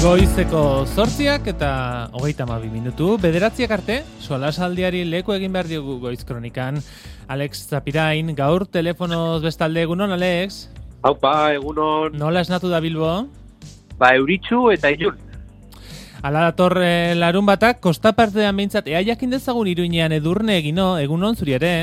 Goizeko 8 eta 32 minutu, bederatziak arte, solasaldiari leku egin behar diogu Goiz Kronikan. Alex Zapirain, gaur telefonoz bestalde, egunon, Alex? Haupa, egunon. Nola esnatu da Bilbo? Euritsu eta ilun. Ala dator larun batak, kostapartean behintzat, ea jakin dezagun Iruinean Edurne egino, egunon zuri ere,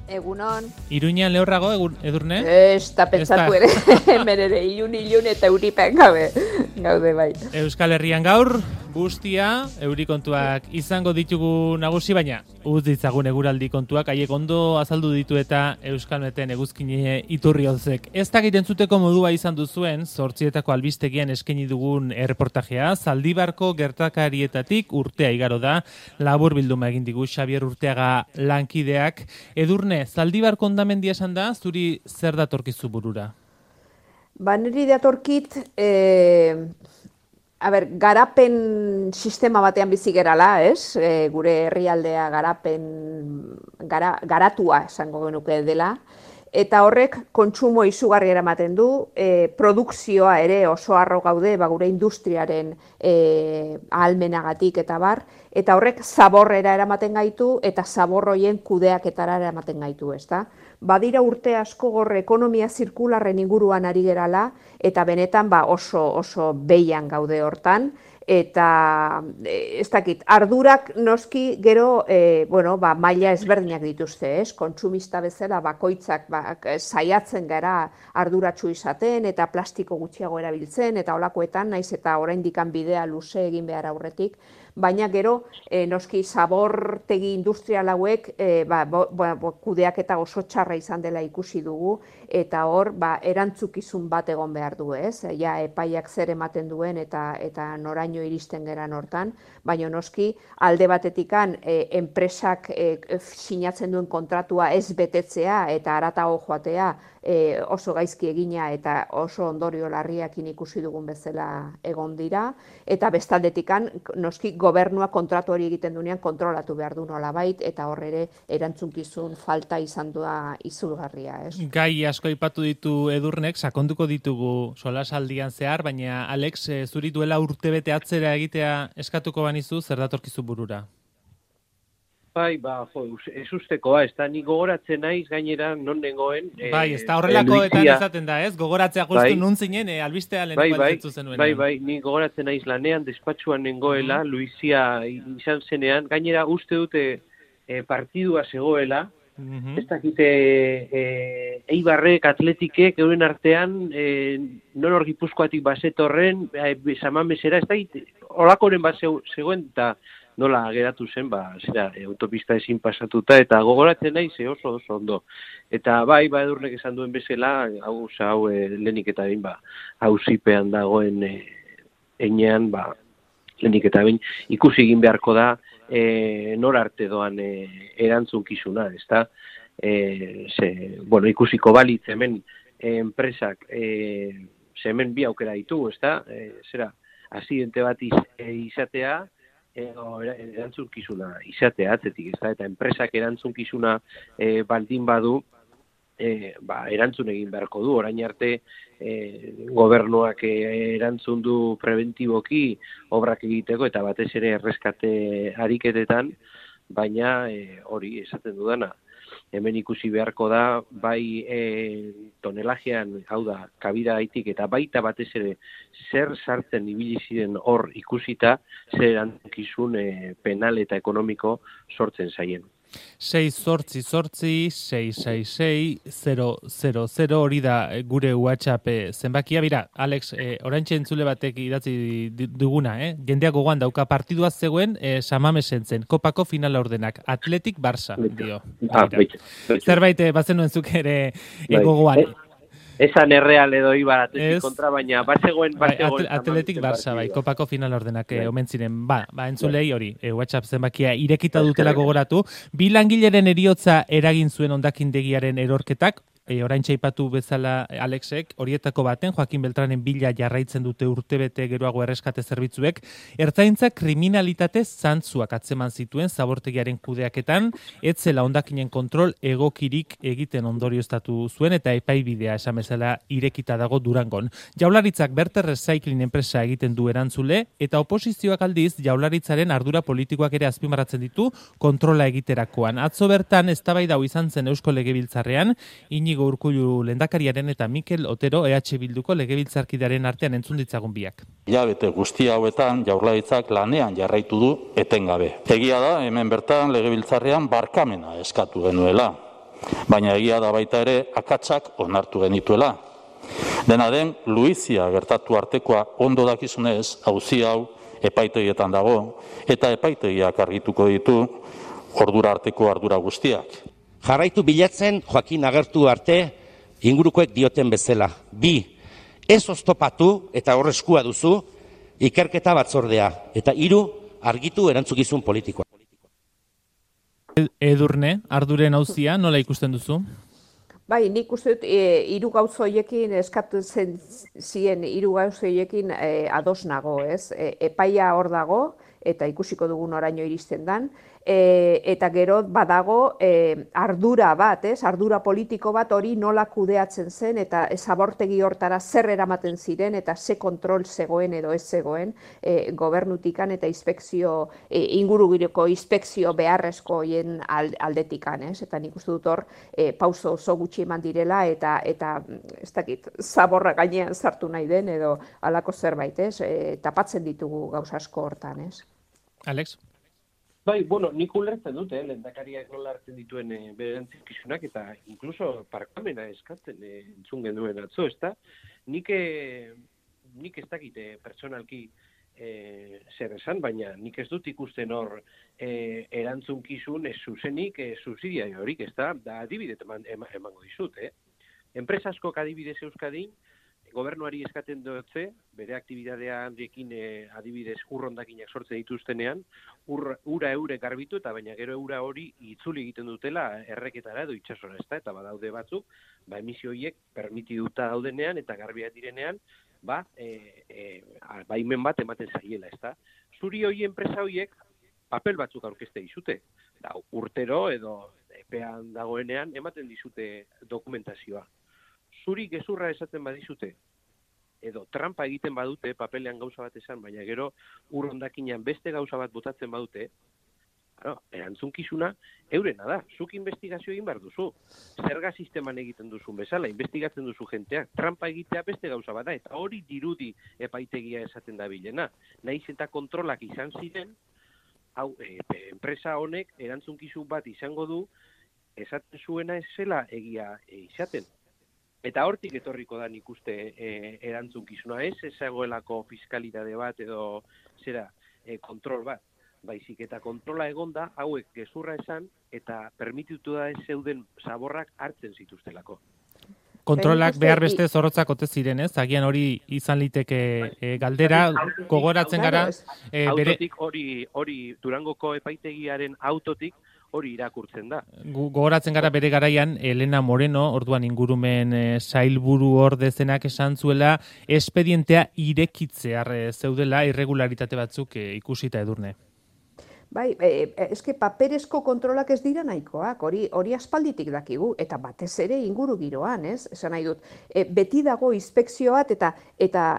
Egunon. Iruinean lehorrago, Edurne? Ez da pentsatu ere, hemen ere, ilun eta euripen gaude bai. Euskal Herrian gaur, guztia, eurikontuak izango ditugu nagusi, baina uz ditzagun eguraldi kontuak, haiek ondo azaldu ditu eta Euskalmeten eguzkine iturriozek. Ez dakit entzuteko modua izan duzuen, 8etako albistegian eskaini dugun erreportajea, Zaldibarko gertakarietatik urtea igaro da, labur bilduma egin digu Xabier Urteaga lankideak. Edurne, Zaldibarko hondamendia esan da, zuri zer datorkizu burura? Niri datorkit, garapen sistema batean bizi gerala, ez? Gure herrialdea garatua esango genuke dela, eta horrek kontsumo izugarri eramaten du, produkzioa ere oso harro gaude, gure industriaren ahalmenagatik eta bar, eta horrek zaborrera eramaten gaitu, eta zabor horien kudeaketara eramaten gaitu, ezta? Badira urte asko gorre ekonomia zirkularren inguruan ari gerala, eta benetan oso behian gaude hortan, eta ez dakit, ardurak noski gero maila ezberdinak dituzte, ez? Kontsumista bezala bakoitzak saiatzen gara arduratsu izaten eta plastiko gutxiago erabiltzen eta holakoetan naiz eta oraindikan bidea luze egin behar aurretik, baina gero noski zabortegi industrial hauek kudeaketa oso txarra izan dela ikusi dugu eta hor erantzukizun bat egon behar du, ez? Ja epaiak zer ematen duen eta noraino iristen geran hortan, baina noski alde batetikan enpresak sinatzen duen kontratua ez betetzea eta haratago joatea oso gaizki egina eta oso ondorio larriakin ikusi dugun bezala egon dira, eta bestaldetikan noski gobernua kontratu hori egiten duenean kontrolatu behar du nolabait, eta hor ere erantzunkizun falta izan da izugarria, ez? Gai asko aipatu ditu Edurnek, sakonduko ditugu solasaldian zehar, baina Alex, zuri duela urtebete atzera egitea eskatuko banizu, zer datorkizu burura? Ez ustekoa, ez da, ni gogoratzen naiz gainera non nengoen. Ez da horrelakoetan ezaten da, ez? Gogoratzea justu nun zinen, albistea lehenko altzetzu zenuen. Ni gogoratzen naiz lanean, despatxuan nengoela, Luizia izan zenean, gainera uste dute partidua zegoela, ez dakite Eibarrek, Atletikek, euren artean, non hor Gipuzkoatik bazetorren, Samamesera, ez dakite, holakoren bat zegoen, eta nola geratu zen, autopista ezin pasatuta, eta gogoratzen nahi oso ondo. Eta Edurnek esan duen bezala, hau lehenik eta behin, hauzipean dagoen enean, lehenik eta behin, ikusi egin beharko da, nor arte doan erantzunkizuna, ezta? Ikusiko balitz hemen enpresak, hemen bi aukera ditu, ezta? Akzidente bat izatea, erantzunkizuna izatea atzetik, ez da, eta enpresak erantzunkizuna baldin badu, erantzun egin beharko du, orain arte gobernuak erantzun du preventiboki obrak egiteko, eta batez ere erreskate ariketetan, baina hori esaten dudana. Hemen ikusi beharko da, tonelajean, hau da, kabida haitik, eta baita batez ere zer sartzen ibili ziren hor ikusita, zer erantzukizun penal eta ekonomiko sortzen zaien. 6-8-6-6-6-0-0-0 hori da gure WhatsApp zenbakia. Bira, Alex, oraintxe entzule batek idatzi duguna, jendeak gogoan dauka partidua zegoen Samamesen zen, kopako finala ordenak, Atletik Barça, dio. Zerbait bazenuen zuk ere gogoan. Esan erreal edo Ibar Atletik kontra, baina bazegoen Atletik Barça, kopako final ordenak omen ziren. Entzulei hori, WhatsApp zenbakia irekita dutela gogoratu. Bi langileren heriotza eragin zuen hondakindegiaren erorketak, orain txaipatu bezala Alexek, horietako baten, Joaquin Beltranen bila jarraitzen dute urtebete geroago erreskate zerbitzuek, ertzaintzak kriminalitate zantzuak atzeman zituen zabortegiaren kudeaketan, etzela hondakinen kontrol egokirik egiten ondorioztatu zuen eta epaibidea esan bezala irekita dago Durangon. Jaurlaritzak Berter Recycling enpresa egiten du erantzule eta oposizioak aldiz Jaurlaritzaren ardura politikoak ere azpimarratzen ditu kontrola egiterakoan. Atzo bertan eztabaida hau izan zen Eusko Legebiltzarrean, Inigo Urkullu lehendakariaren eta Mikel Otero EH Bilduko legebiltzarkidearen artean entzun ditzagun biak. Hilabete guzti hauetan Jaurlaritzak lanean jarraitu du etengabe. Egia da hemen bertan legebiltzarrean barkamena eskatu genuela, baina egia da baita ere akatsak onartu genituela. Dena den, Luizia gertatu artekoa ondo dakizunez, auzi hau epaitegietan dago, eta epaitegiak argituko ditu ordura arteko ardura guztiak. Jarraitu bilatzen Joaquin agertu arte ingurukoek dioten bezala. 2. Ez oztopatu eta horreskua duzu ikerketa batzordea. Eta 3. Argitu erantzukizun politikoa. Edurne, arduren auzia nola ikusten duzu? Bai, nik uste dut, 3 gauza horiekin eskatu zien 3 gauza horiekin ados nago, ez? Epaia hor dago, eta ikusiko dugun oraino iristen dan, eta gero badago ardura bat, ez? Ardura politiko bat hori nola kudeatzen zen, eta zabortegi hortara zer eramaten ziren, eta ze kontrol zegoen edo ez zegoen gobernutikan eta inspekzio, ingurugiroko inspekzio beharrezko hoien aldetikan, ez? Eta nik uste dut hor, pauso oso gutxi eman direla, eta ez dakit, zaborra gainean sartu nahi den, edo halako zerbait, ez? Tapatzen ditugu gauza asko hortan, ez? Alex? Bai, bueno, nik ulertzen dute, lehendakariak nola hartzen dituen bere erantzunkizunak, eta incluso parkamena eskatzen entzun genuen atzo, ezta? Nik ez dakite pertsonalki zer esan, baina nik ez dut ikusten hor erantzunkizun ez zuzenik subsidiariorik, ezta? Da adibidez emango dizut, Enpresa askok adibidez Euskadin, gobernuari eskaten dutze, bere aktibidadearekin adibidez urrondakinak sortzen dituztenean, ura eurek garbitu eta baina gero eura hori itzuli egiten dutela erreketara edo itsasora, ezta? Eta badaude batzuk, emisio horiek permitituta daudenean eta garbiak direnean, baimen bat ematen zaiela, ezta? Zuri hori enpresa horiek papel batzuk aurkezte dizute. Urtero edo epean dagoenean ematen dizute dokumentazioa. Zuri gezurra esaten badizute, edo trampa egiten badute, papelean gauza bat esan, baina gero urrondakinean beste gauza bat botatzen badute, erantzunkizuna eurena da. Zuk investigazio egin behar duzu. Zerga sisteman egiten duzun bezala, investigatzen duzu jenteak. Trampa egitea beste gauza bat da, eta hori dirudi epaitegia esaten da bilena. Naiz eta kontrolak izan ziren, enpresa honek erantzunkizun bat izango du, esaten zuena ez zela egia izaten. Eta hortik etorriko da nik uste erantzunkizuna, ez ezagoelako fiskalitate bat edo kontrol bat. Baizik eta kontrola egonda hauek gezurra esan eta permititu da ez zeuden zaborrak hartzen zituztelako. Kontrolak behar beste zorrotzak ote ziren, ez? Agian hori izan liteke galdera, gogoratzen gara. Autotik hori Durangoko epaitegiaren autotik hori irakurtzen da. Gogoratzen gara bere garaian, Elena Moreno, orduan ingurumen sailburu ordezenak esan zuela, espedientea irekitzear zeudela irregularitate batzuk ikusita Edurne. Bai, eske paperezko kontrolak ez dira nahikoak, hori aspalditik dakigu, eta batez ere inguru giroan, ez? Esan nahi dut, beti dago inspekzio bat, eta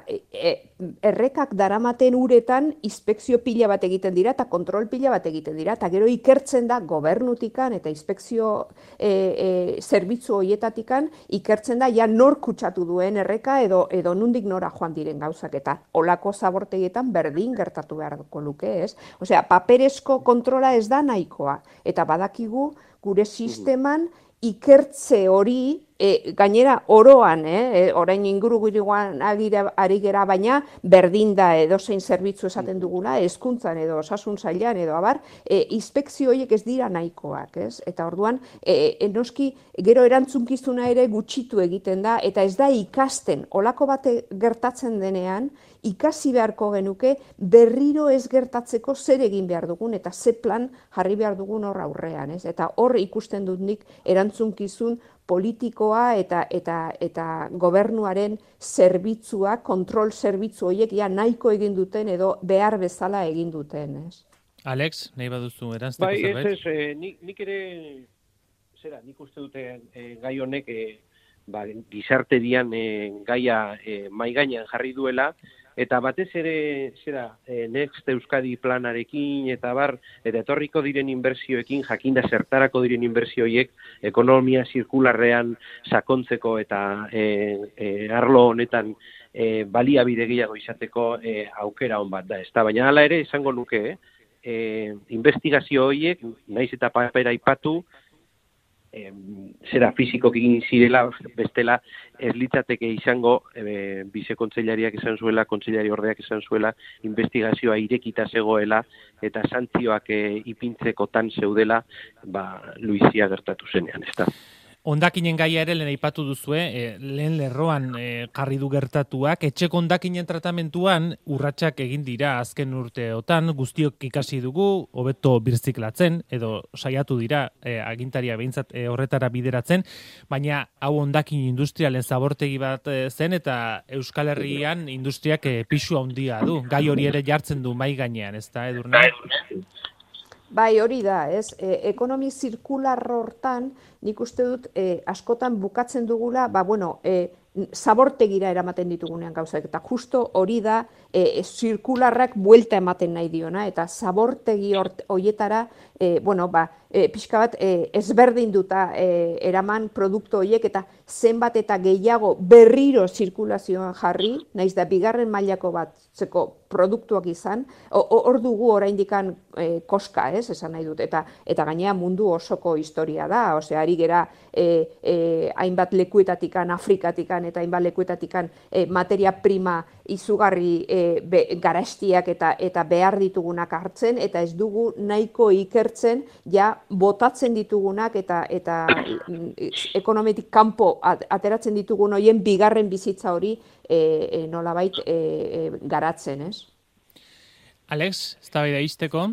errekak daramaten uretan inspekzio pila bat egiten dira, eta kontrol pila bat egiten dira, eta gero ikertzen da gobernutikan, eta inspekzio zerbitzu horietatikan, ikertzen da, ja nor kutsatu duen erreka, edo nundik nora joan diren gauzak, eta olako zabortegietan berdin gertatu beharko luke, ez? Osea, paperezko kontrola ez da nahikoa, eta badakigu gure sisteman ikertze hori, gainera oroan, orain ingurugiroan ari gera, baina berdin da edozein zerbitzu esaten duguna, hezkuntzan edo osasun sailean edo abar, inspekzio horiek ez dira nahikoak, ez? Eta orduan, noski gero erantzunkizuna ere gutxitu egiten da, eta ez da ikasten, olako bate gertatzen denean, ikasi beharko genuke berriro ez gertatzeko zer egin behar dugun eta ze plan jarri behar dugun hor aurrean, ez? Eta hor ikusten dut nik erantzunkizun politikoa eta gobernuaren zerbitzua, kontrol zerbitzu horiek nahiko egin duten edo behar bezala egin duten, ez? Alex, nahi baduzu erantzteko zerbait? Bai, nik ere, nik uste dute gai honek gizarterian gaia mai gainean jarri duela, eta batez ere, Next Euskadi planarekin, eta etorriko diren inbertsioekin, jakinda zertarako diren inbertsioiek, ekonomia zirkularrean sakontzeko eta arlo honetan baliabide gehiago izateko aukera on bat da. Baina hala ere, esango nuke, investigazio horiek, naiz eta papera aipatu, fizikoki egin zirela, bestela ez litzateke izango bizekontseilariak esan zuela, kontseilari ordeak esan zuela, investigazioa irekita zegoela eta santzioak ipintzekotan zeudela, Luizia gertatu zenean, ez da. Hondakinen gaia ere lehen aipatu duzue, lehen lerroan jarri du gertatuak, etxeko hondakinen tratamentuan urratsak egin dira azken urteotan, guztiok ikasi dugu, hobeto birziklatzen, edo saiatu dira agintaria behintzat horretara bideratzen, baina hau hondakin industrialen zabortegi bat zen, eta Euskal Herrian industriak pisu handia du, gai hori ere jartzen du mai gainean, ez da, Edurne? Bai, hori da, ez? Ekonomi zirkular hortan, nik uste dut, askotan bukatzen dugula, zabortegira eramaten ditugunean gauzak, eta justo hori da, zirkularrak buelta ematen nahi diona, eta zabortegi horietara, pixka bat ezberdinduta eraman produktu horiek, eta zenbat eta gehiago berriro zirkulazioan jarri, naiz da bigarren mailako batzeko produktuak izan, hor dugu oraindikan koska, esan nahi dut, eta gainea mundu osoko historia da, ari gera hainbat lekuetatikan, Afrikatikan eta hainbat lekuetatikan materia prima izugarri garastiak eta behar ditugunak hartzen, eta ez dugu nahiko ikertzen, botatzen ditugunak eta ekonomietik kanpo ateratzen ditugun horien bigarren bizitza hori nolabait garatzen, ez? Alex, eztabaida izteko?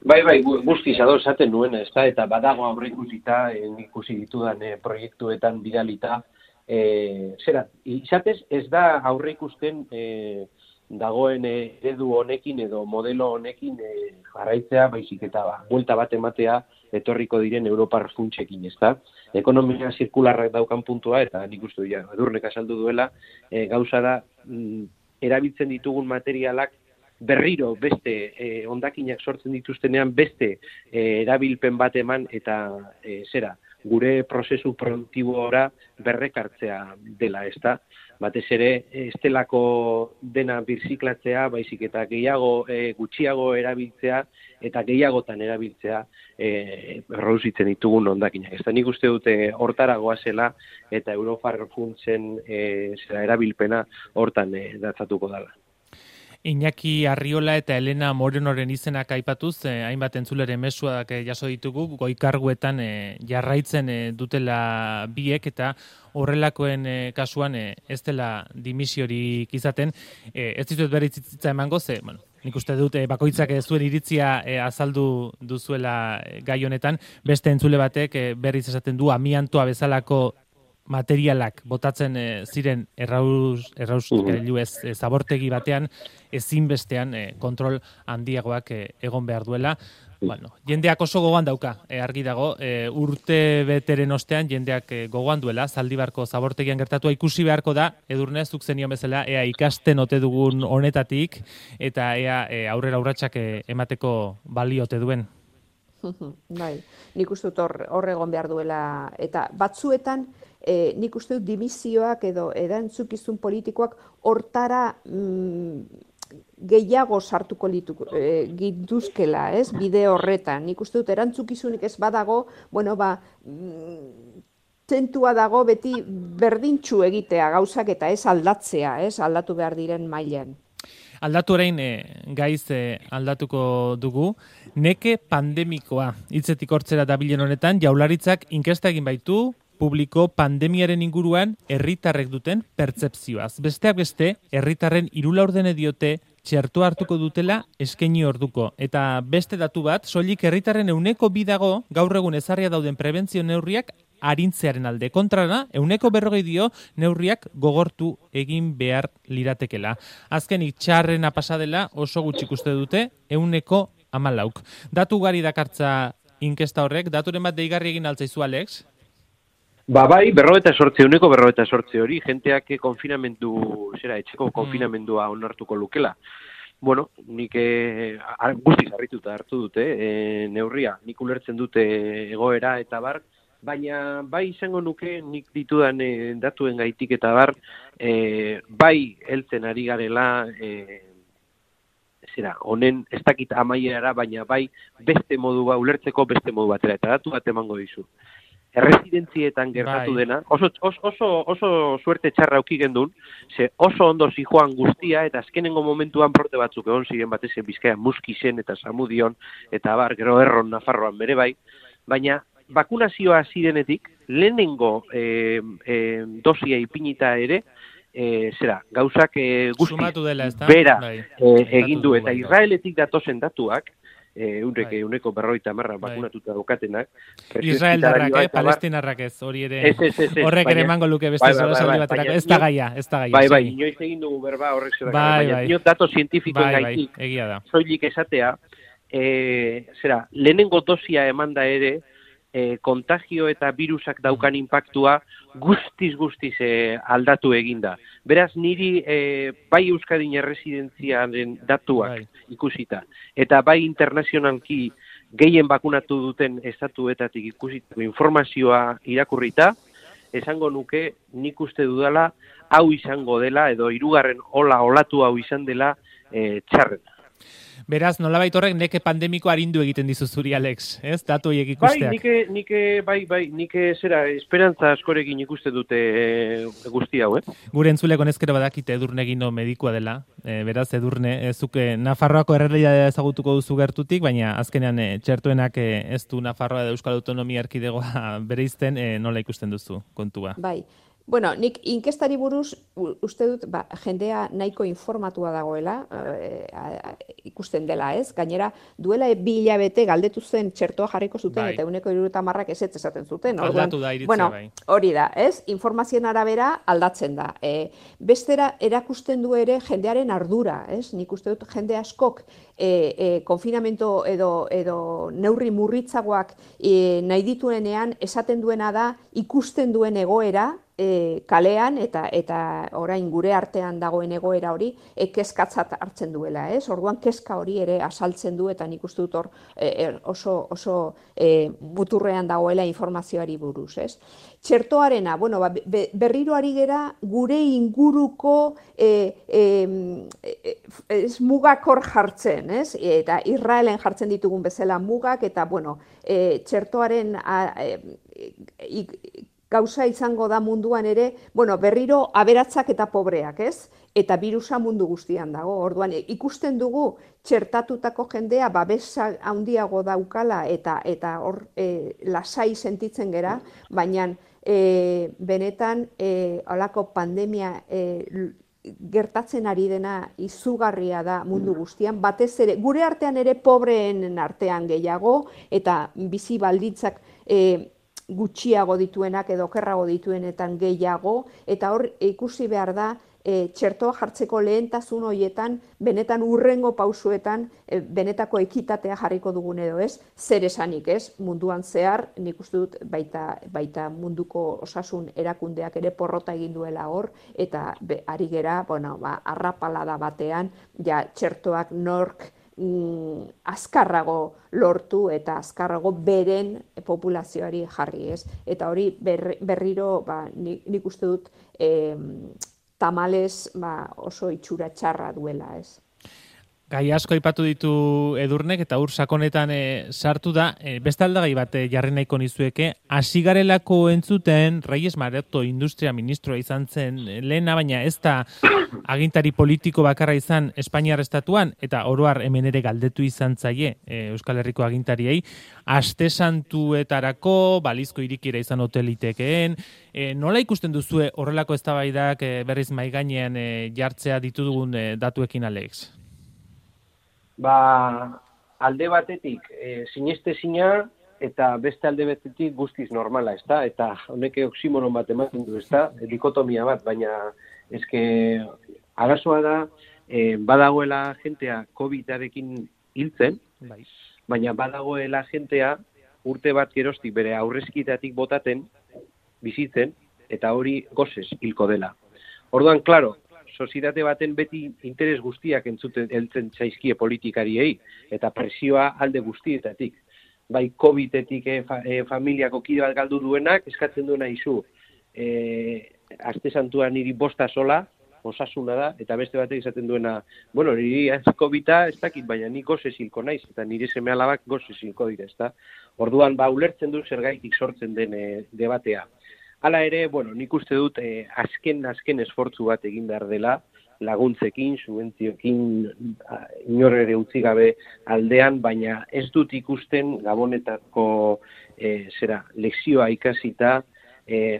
Bai, guztiz ados esaten nuen, ez da, eta badago aurreikusita, ikusi ditudan proiektuetan bidalita, izatez ez da aurreikusten dagoen eredu honekin edo modelo honekin jarraitzea, baizik eta buelta bat ematea etorriko diren Europar funtsekin, ez da. Ekonomia zirkularrak daukan puntua, eta nik uste Edurnek azaldu duela, gauza da, erabiltzen ditugun materialak berriro beste hondakinak sortzen dituztenean beste erabilpen bat eman eta gure prozesu produktibora berrekartzea dela, ez da. Batez ere, estelako dena birziklatzea, baizik eta gutxiago erabiltzea eta gehiagotan erabiltzea errausitzen ditugun hondakinak. Ez da, nik uste dute hortara goazela eta Europar funtsen erabilpena hortan datzatuko dela. Iñaki Arriola eta Elena Morenoren izenak aipatuz, hainbat entzuleren mezuak jaso ditugu, goikarguetan jarraitzen dutela biek, eta horrelakoen kasuan ez dela dimisiorik izaten. Ez ditut berritzitza emango, nik uste dut bakoitzak zuen iritzia azaldu duzuela gai honetan, beste entzule batek berriz esaten du amiantoa bezalako materialak botatzen ziren zabortegi batean ezinbestean kontrol handiagoak egon behar duela. Jendeak oso gogoan dauka, argi dago, urte beteren ostean jendeak gogoan duela, Zaldibarko zabortegian gertatua ikusi beharko da, Edurne, zuk zenion bezala, ea ikasten ote dugun honetatik, eta ea aurrera urratsak emateko baliote duen. Bai, nik uste dut hor egon behar duela, eta batzuetan nik uste dut dimisioak edo erantzukizun politikoak hortara gehiago sartuko gintuzkela, ez, bide horretan. Nik uste dut erantzukizunik ez badago, zentua dago beti berdintxu egitea gauzak eta ez aldatzea, ez, aldatu behar diren mailan. Aldatu orain gaiz aldatuko dugu. Neke pandemikoa hitzetik hortzera dabilen honetan, Jaurlaritzak inkesta egin baitu publiko pandemiaren inguruan herritarrek duten pertzepzioaz. Besteak beste, herritarren 3/4 diote txertoa hartuko dutela eskaini orduko. Eta beste datu bat, soilik herritarren 2% dago gaur egun ezarria dauden prebentzio neurriak arintzearen alde. Kontrara, 40% dio neurriak gogortu egin behar liratekela. Azkenik txarrena pasadela oso gutxi ikuste dute 14%. Datu ugari dakartza inkesta horrek, daturen bat deigarri egin altzaizu, Alex? Bai, 48% hori, jenteak etxeko konfinamendua onartuko lukela. Bueno, nik guztiz harrituta hartu dute neurria, nik ulertzen dute egoera eta bar, baina bai izango nuke nik ditudan datuen gaitik eta bar, bai heltzen ari garela, honen ez dakit amaierara, baina bai beste modu ulertzeko beste modu batera, eta datu bat emango dizu. Erresidentzietan gertatu dena, oso suerte txarra auki gendun, ze oso ondo zijoan guztia, eta azkenengo momentuan porte batzuk egon ziren batez Bizkaian Muskisen eta Samudion, eta bar, gero Erron, Nafarroan bere bai, baina bakunazioa zirenetik, lehenengo dosia ipinita ere, gauzak guzti bera egin du, eta Israeletik datozen datuak, euneko 50 bakunatuta daukatenak. Israeldarrak, palestinarrak ez, hori ere, horrek ere emango luke beste solasaldi baterako, ez da gaia. Bai, inoiz egin dugu berba horrek zera, baina ino dato zientifikoen gaitik, soilik esatea, lehenengo dosia emanda ere, kontagio eta virusak daukan impactua guztiz aldatu eginda. Beraz, niri bai Euskadin erresidentziaren datuak ikusita, eta bai internazionalki gehien bakunatu duten estatuetatik ikusitako informazioa irakurrita, esango nuke nik uste dudala hau izango dela, edo 3. olatu hau izan dela txarrena. Beraz, nolabait horrek neke pandemiko arindu egiten dizu zuri, Alex, ez? Datu horiek ikusteak. Nik esperantza askorekin ikuste dute guzti hau, Gure entzuleko nezkero badakite Edurne Gino medikua dela, beraz, Edurne, zuke Nafarroako errealitatea ezagutuko duzu gertutik, baina azkenean txertuenak ez du Nafarroa edo Euskal Autonomia Erkidegoa bereizten, nola ikusten duzu kontua? Bai. Bueno, nik inkestari buruz uste dut jendea nahiko informatua dagoela, ikusten dela, ez? Gainera, duela 2 hilabete galdetu zen txertoa jarriko zuten, eta 70% ez esaten zuten. Aldatu da iritzea, bai. Hori da, ez? Informazioen arabera aldatzen da. Bestera erakusten du ere jendearen ardura, ez? Nik uste dut jende askok konfinamento edo neurri murritzagoak nahi dituenean esaten duena da ikusten duen egoera, kalean eta orain gure artean dagoen egoera hori kezkatzat hartzen duela, ez? Orduan kezka hori ere azaltzen du eta nik uste dut hor oso muturrean dagoela informazioari buruz, ez? Txertoarena, berriro ari gera gure inguruko mugakor jartzen, ez? Eta Israelen jartzen ditugun bezala mugak eta, txertoaren gauza izango da munduan ere, berriro aberatzak eta pobreak, ez? Eta birusa mundu guztian dago. Orduan, ikusten dugu txertatutako jendea babesa handiago daukala eta hor lasai sentitzen gera, baina benetan holako pandemia gertatzen ari dena izugarria da mundu guztian, batez ere, gure artean ere pobreen artean gehiago, eta bizi baldintzak gutxiago dituenak edo okerrago dituenetan gehiago, eta hor ikusi behar da txertoa jartzeko lehentasun horietan, benetan urrengo pausuetan, benetako ekitatea jarriko dugun edo ez, zer esanik ez, munduan zehar, nik uste dut baita munduko osasun erakundeak ere porrota egin duela hor, eta ari gera, arrapalada batean, ja txertoak nork azkarrago lortu eta azkarrago beren populazioari jarri, ez? Eta hori berriro nik uste dut tamalez oso itxura txarra duela, ez? Gai asko aipatu ditu Edurnek eta sakonetan sartu da, beste aldagai bat jarri nahiko nizueke, hasi garelako entzuten Reyes Maroto industria ministroa izan zen lehena, baina ez da agintari politiko bakarra izan Espainiar estatuan, eta oroar hemen ere galdetu izan zaie Euskal Herriko agintariei, aste santuetarako balizko irikiera izan hotelitekeen, nola ikusten duzue horrelako eztabaidak berriz mahai gainean jartzea ditugun datuekin, Alex? Alde batetik, sinestezina eta beste alde betetik guztiz normala, ezta? Eta honek oksimoron bat ematen du, ezta? Dikotomia bat, baina eske arazoa da, badagoela jentea COVID-arekin hiltzen, baina badagoela jentea urte bat geroztik bere aurrezkitatik botaten, bizitzen, eta hori gozez hilko dela. Orduan, klaro, sozietate baten beti interes guztiak heltzen zaizkie politikariei, eta presioa alde guztietatik. Bai, COVID-etik familiako kide bat galdu duenak, eskatzen duena izu, aste santua niri bosta sola, osasuna da, eta beste batek izaten duena, bueno, niri COVID-a ez dakit, baina ni gozez hilko naiz, eta nire seme alabak gozez hilko dira, ezta? Orduan, ulertzen du zergaitik sortzen den debatea. Hala ere, bueno, nik uste dut azken esfortzu bat egin behar dela, laguntzekin, subentzioekin, inor ere utzi gabe aldean, baina ez dut ikusten Gabonetako lekzioa ikasita,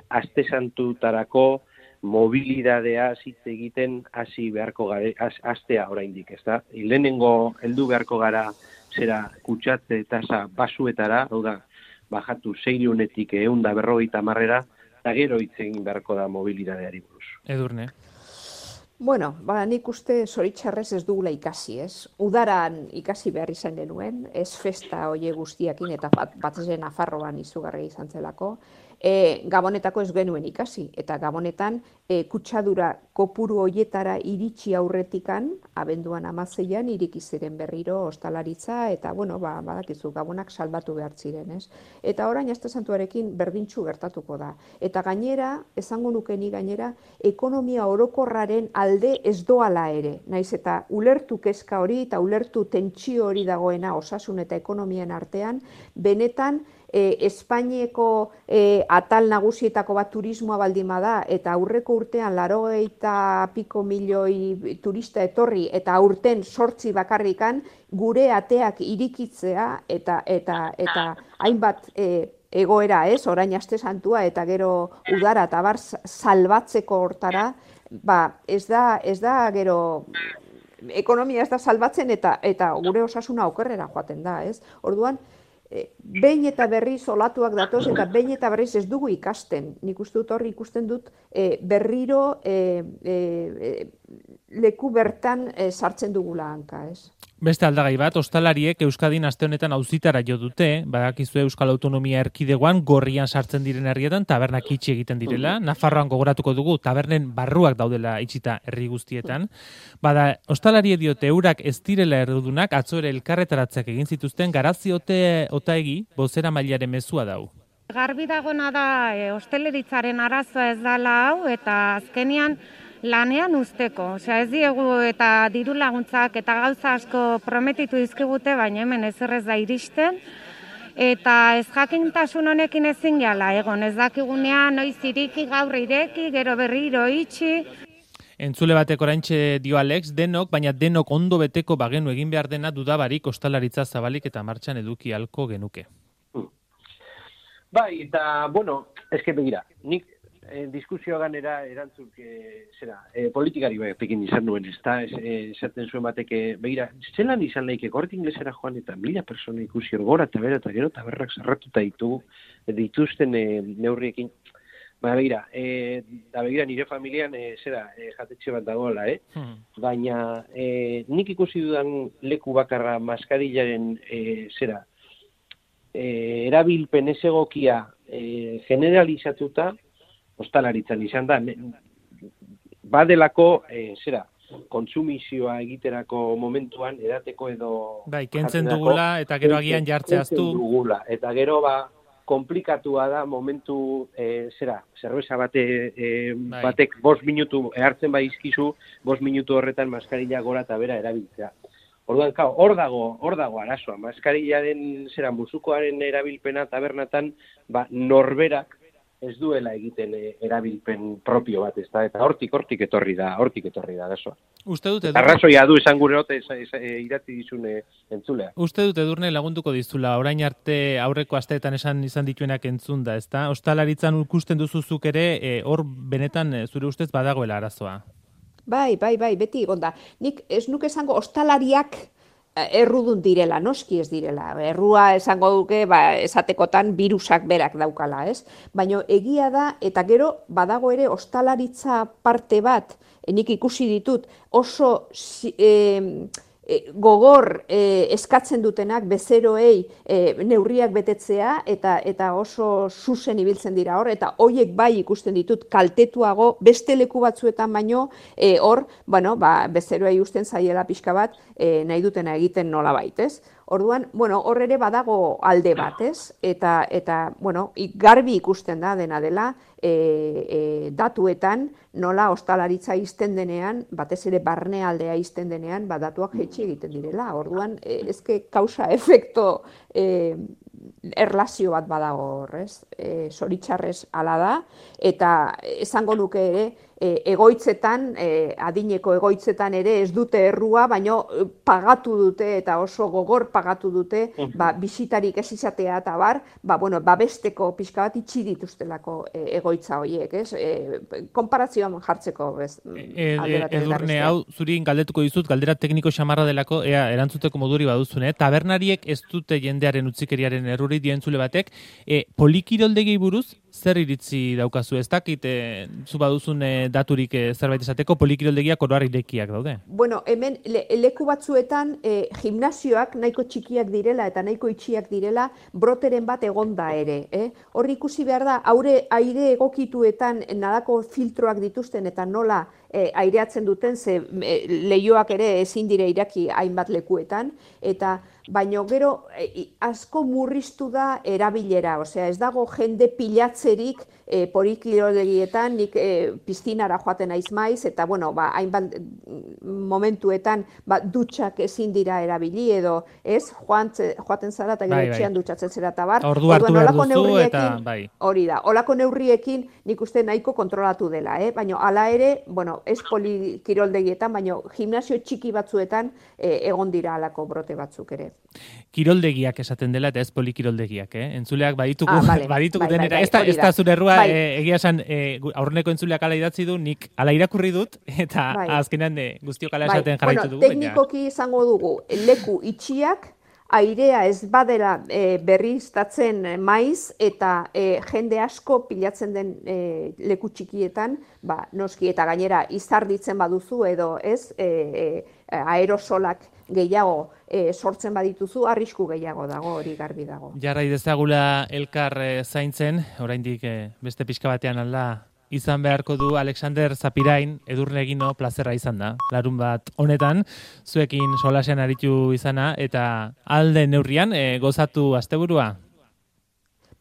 aste santutarako mobilidadea hitz egiten hasi beharko gara, astea oraindik, ezta? Lehenengo heldu beharko gara kutsatze tasa basuetara, hau da, bajatu 600-etik 150-era, eta gero hitz egin beharko da mobilidadeari buruz. Edurne. Bueno, nik uste zoritxarrez ez dugula ikasi, ez? Udaran ikasi behar izan genuen, ez festa oie guztiakin eta batzezen Nafarroan izugarri izan zelako. Gabonetako ez genuen ikasi, eta Gabonetan kutsadura kopuru hoietara iritsi aurretikan, abenduan 16an iriki ziren berriro ostalaritza, eta bueno, badakizu, Gabonak salbatu behar ziren, ez? Eta orain aste santuarekin berdintxu gertatuko da. Eta gainera, esango nukeni gainera, ekonomia orokorraren alde ez doala ere, naiz eta ulertu kezka hori eta ulertu tentsio hori dagoena osasun eta ekonomian artean, benetan Espainiako atal nagusietako bat turismoa baldin bada, eta aurreko urtean 80 milioi turista etorri, eta aurten 8 bakarrikan gure ateak irikitzea, eta hainbat egoera, ez, orain aste santua, eta gero udara eta bar salbatzeko hortara, ez da gero ekonomia ez da salbatzen, eta gure osasuna okerrera joaten da, ez? Orduan, behin eta berriz olatuak datoz, eta behin eta berriz ez dugu ikasten. Nik uste dut horri ikusten dut berriro leku bertan sartzen dugula hanka, ez? Beste aldagai bat, ostalariek Euskadin aste honetan auzitara jo dute, badakizu Euskal Autonomia Erkidegoan gorrian sartzen diren herrietan tabernak itxi egiten direla. Nafarroan gogoratuko dugu tabernen barruak daudela itxita herri guztietan. Bada, ostalari diote eurak ez direla errudunak, atzo ere elkarretaratzeak egin zituzten, Garazi Otaegi bozera mailaren mezua dau. Garbi dagona da osteleritzaren arazoa ez dela hau, eta azkenian lanean usteko. Ez diegu eta diru laguntzak eta gauza asko prometitu dizkigute, baina hemen ezerrez da iristen. Eta ez jakintasun honekin ezin gehala egon, ez dakigunean noiz iriki, gaur ireki, gero berriro itxi. Entzule batek oraintxe dio Alex, baina denok ondo beteko bagenu egin behar dena dudabarik ostalaritza zabalik eta martxan eduki halko genuke. Bai, eta, bueno, eske begira, nik diskusioa ganera erantzuk politikari batekin izan duen, esaten zuen bateke, begira, zelan izan laike Corte Inglesera joan eta 1000 persona ikusi gora eta bera eta gero taberrak zarratuta dituzten neurriekin. Begira, nire familian jatetxe bat dagoela, baina nik ikusi dudan leku bakarra maskarillaren erabilpen ez egokia generalizatuta ostalaritzan izan da, badelako, kontsumizioa egiterako momentuan, edateko edo... Bai, kentzen dugula, eta gero agian jartzeaztu. Eta gero, komplikatua da momentu, zerbeza batek 5 minutu hartzen izkizu, 5 minutu horretan maskarilla gora eta bera erabiltzea. Orduan, hor dago arazoa, maskarillaren, musukoaren erabilpena tabernatan, norberak ez duela egiten erabilpen propio bat, eta hortik etorri da arazoa. Uste dute arrazoia du esan gure hote idatzi dizune entzulea. Uste dute Edurne lagunduko dizula, orain arte aurreko asteetan esan izan dituenak entzunda, ezta? Ostalaritzan ikusten duzuzuk ere, hor benetan zure ustez badagoela arazoa. Bai, beti egon da. Nik ez nuke esango ostalariak errudun direla, noski ez direla. Errua esango duke, esatekotan virusak berak daukala, ez? Baina egia da, eta gero badago ere ostalaritza parte bat, nik ikusi ditut, oso gogor eskatzen dutenak bezeroei neurriak betetzea eta oso zuzen ibiltzen dira hor, eta hoiek bai ikusten ditut kaltetuago beste leku batzuetan baino hor, bezeroei usten zaiela pixka bat nahi dutena egiten nolabait, ez? Orduan, hor ere badago alde bat, ez? Eta garbi ikusten da dena dela datuetan nola ostalaritza izten denean, batez ere barnealdea izten denean, datuak jaitsi egiten direla. Orduan, ezke kausa-efekto erlazio bat badago horrez. Zoritxarrez hala da, eta esango nuke ere, egoitzetan, adineko egoitzetan ere ez dute errua, baino pagatu dute eta oso gogor pagatu dute, bisitarik ez izatea eta babesteko pixka bat itxi dituztelako egoitza horiek, ez? Konparazioan jartzeko, ez? Edurne, hau, zuri galdetuko dizut, galdera tekniko xamarra delako, erantzuteko moduri baduzune, tabernariek ez dute jendearen utzikeriaren erruri dientzule batek, polikiroldegi buruz, zer iritzi daukazu, ez dakit, zu baduzun daturik zerbait esateko, polikiroldegiak oroar irekiak daude? Bueno, hemen leku batzuetan gimnasioak nahiko txikiak direla eta nahiko itxiak direla broteren bat egonda ere. Horri ikusi behar da, aire egokituetan nadako filtroak dituzten eta nola aireatzen duten, ze leioak ere ezin dire iraki hainbat lekuetan, eta baino gero asko murriztu da erabilera, osea ez dago jende pilatzerik polikiroldegietán, nik piztinara joaten naiz maiz, eta hainbat momentuetan dutxak ezin dira erabili, edo ez, joaten zara eta gero etxean dutxatzen zera eta bar. Ordu hartu behar duzu eta bai. Hori da, olako neurriekin nik uste nahiko kontrolatu dela, baina hala ere, ez polikiroldegietan, baina gimnasio txiki batzuetan egon dira halako brote batzuk ere. Kiroldegiak esaten dela eta ez polikiroldegiak, entzuleak baditugu denera, ez da zure errua, egia esan aurreneko entzuleak ala idatzi du, nik ala irakurri dut, eta azkenean guztiok ala esaten jarraitu dugu. Teknikoki izango dugu, leku itxiak, airea ez badera berriztatzen maiz, eta jende asko pilatzen den leku txikietan, noski eta gainera izarditzen baduzu edo ez, aerosolak gehiago sortzen badituzu, arrisku gehiago dago, hori garbi dago. Jarrai dezagula elkar zaintzen, oraindik beste pixka batean alda izan beharko du Alexander Zapirain, Edurne Egino plazerra izan da. Larun bat honetan, zuekin solasean aritu izana, eta alde neurrian gozatu asteburua.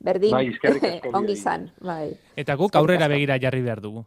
Berdin, ongi izan. Eta guk aurrera begira jarri behar dugu.